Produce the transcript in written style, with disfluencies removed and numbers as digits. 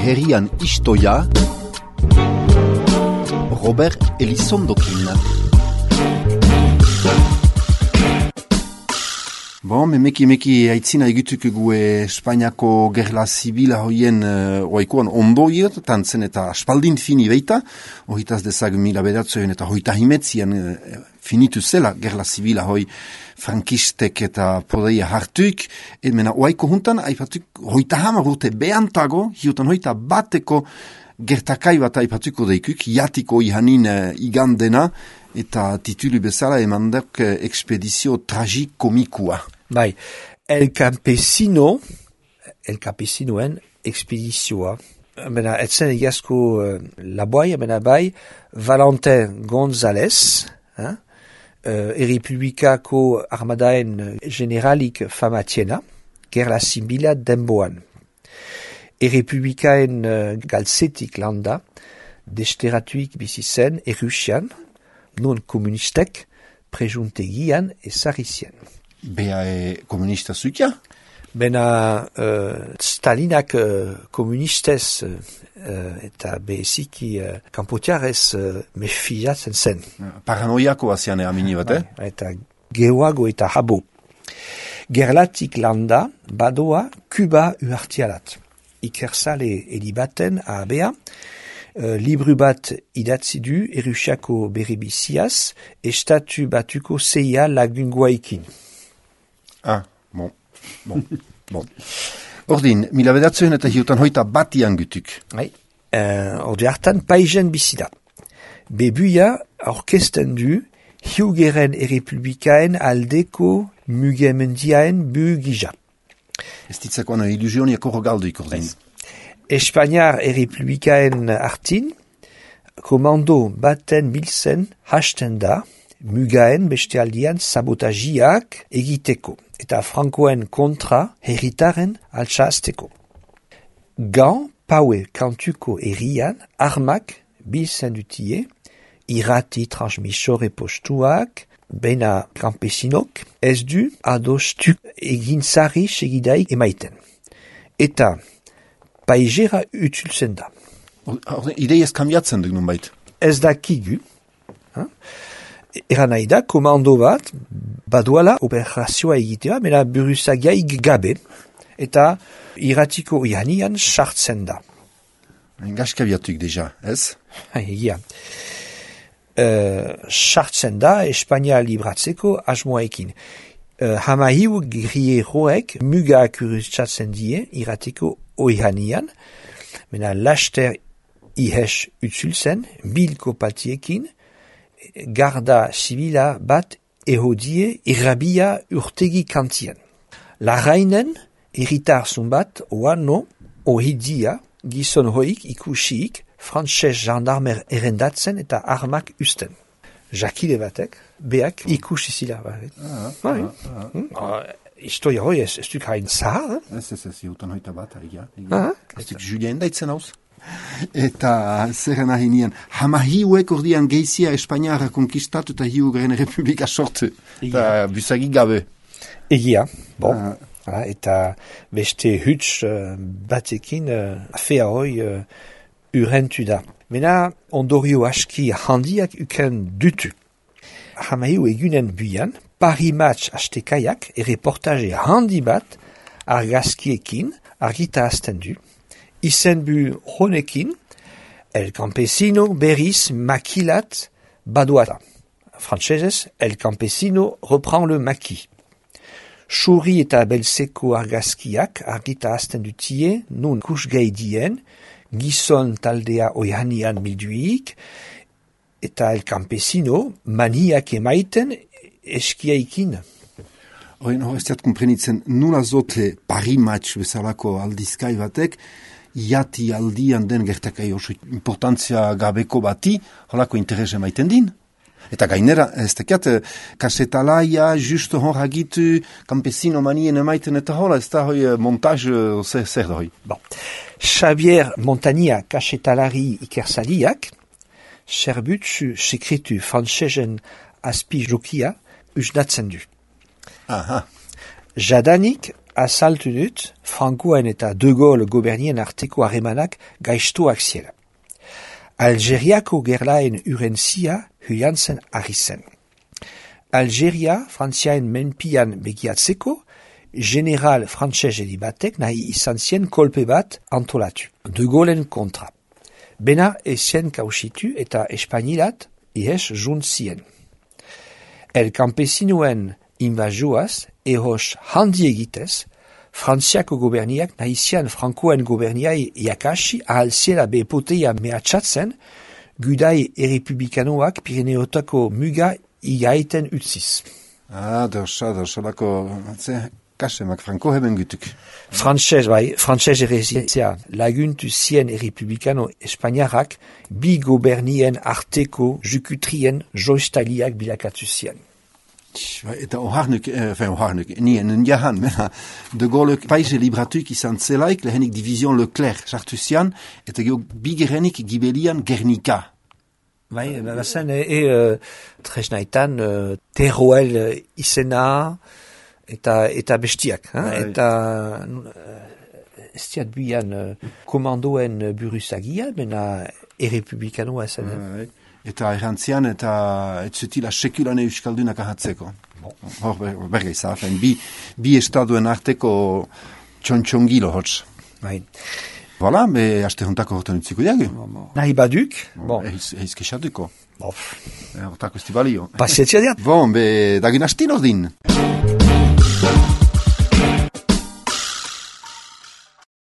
herrian istoia, Robert Elizondokin. Bon, meki aitzina egituko Espainiako gerla zibila hoien oaikoan ondo tantzen eta aspaldin fini beita, hojitaz dezag 1900 eta hoita himetzian finitu zela gerla zibila hoi frankistek eta podeia hartuik, mena oaiko juntan, aipatuk hoita hamar urte behantago, hiutan hoita bateko gertakai bat aipatuko deikuk, jatiko ihanin igandena, eta titulu bezala emandek ekspedizio tragikomikua. Bai, El Campesinoen ekspedizioa. Bena, etzen egazko laboai, bena bai, Valentin González, Errepublikako armadaen generalik famatiena, gerla zibila denboan. Errepublikaen galtzetik landa, desteratuik bizi zen Errusian, non komunistek prejuntegian ezarrizien. Bea komunista zutia? Bena Stalinak komunistez eta beziki kanpotiarez mefiatzen zen. Paranoiako azian amini bat, Eta geoago eta habo. Gerlatik landa badoa Kuba uhartialat. Ikersale elibaten ahabea, libru bat idatzi du Errusiako beribiziaz, estatu batuko zeia lagungoaikin. Ah, bon. Ordin, 1900 eta hiutan hoita batian gutuk. Ordi hartan paizen bizida. Bebuia orkesten du hiugeren errepublikaen aldeko mugemendiaen bugija. Ez ditzako ana ilusioniako rogalduik ordin. Espainiar errepublikaen hartin, komando baten biltzen hasten da, mugaen bestealdian sabotajiak egiteko, eta frankoen kontra herritaren altxazteko. Gan paue kantuko herrian armak biltzen dutie, irrati transmisore postuak, bena kampesinok, ez du adostuk egintzari segidaik emaiten. Eta paigera utultzen da. Ideiaz kambiatzen duk nun bait. Ez dakigu. Eran nahi da, komando bat, baduala operazioa egitea, mena buruzagiaik gabe, eta irratiko ihanian sartzen da. Gaskabiatuk deja, ez? Egia. Sartzen da, Espainia libratzeko asmoaekin. Hamahiu grieroek mugak urutsatzen die irratiko oihanian, mena laster ihes utzulzen, bilko patiekin, garda zibila bat ehodie irrabia urtegi kantien. Larrainen, irritarzun bat, oano, ohidia, gizon hoik ikusiik, frantses gendarmer erendatzen eta armak usten. Jakile batek, beak ikusi zila. Historia hoi ez duk hain zahar. Ez, hiutan hoita bat, egia. Ez duk Julien daitzen hauz. Eta zerren ahinean, hamahiuek ordian geizia Espainiara konkistatu eta hiugaren republika sortu. Eta busagik gabe. Egia, bon. Eta beste huts batekin afea hoi urentu da. Mena ondorio aski handiak uken dutu. Hamahiu egunen buian, Paris Match astekaiak reportaje handi bat argazkiekin argita azten du. Izenbu honekin, El Campesino berriz makilat baduata. Frantsesez, El Campesino reprend le maki. Xurri eta belzeko argazkiak argita azten dutie, nun kusgaidien, gizon taldea oihanian bilduik, eta El Campesino maniak emaiten eskiaikin. Ez diat komprenitzen, nula zote Paris Match bezalako aldizkai batek, jati aldian den gertakai oso importantzia gabeko bati, holako interese maiten din. Eta gainera, ez tekiat, kasetalaia, justo hor hagitu, campesino manien emaiten eta hola, ez da hoi montaz zer da hoi. Bon. Xavier Montania kasetalari ikersaliak, serbutsu sekretu frantsesen azpi jokia usnatzen du. Aha. Jadanik azaltu dut, Frankoen eta De Gaulle gobernien arteko harremanak gaiztuak ziela. Algeriako gerlaen urentzia huiantzen ari zen. Algeria, Frantziaen menpian begiatzeko, general frantsesedi batek nahi izan zien kolpe bat antolatu, De Gaullen kontra. Bena ezien kausitu eta espainilat ihes juntzien. El campesinoen invasioaz, ehos handi egitez, Frantziako goberniak nahizian Frankoen goberniai jakasi ahalziela bepoteia mehatxatzen, gudai errepublikanoak Pirineotako muga igaiten utziz. Solako, kasemak Franko heben gutuk. Frantses errezitzea laguntu zien errepublikano espainiarrak bi gobernien arteko jukutrien joistaliak bilakatu zien. Eta oharnuk, nien jahan, De Gaulle paise libratuik izan zelaik, lehenik division Leclerc sartu zian, eta geho bigerenik gibelian Gernika. Bazen, tresnaitan, Teruel izena, eta bestiak, eta ez diat bian komandoen buruzagia, bena errepublikanoa zen. Eta errantzian, eta etzutila sekulane euskaldunak ahatzeko. Hor berga izan, bi estaduen arteko txontxongilo hotz. Voilà, haste hontako hortan utziko diagu. Nahi baduk. Eiz kexatuko. Hortako esti balio. Pasietzia diat. Dagin astin ordin.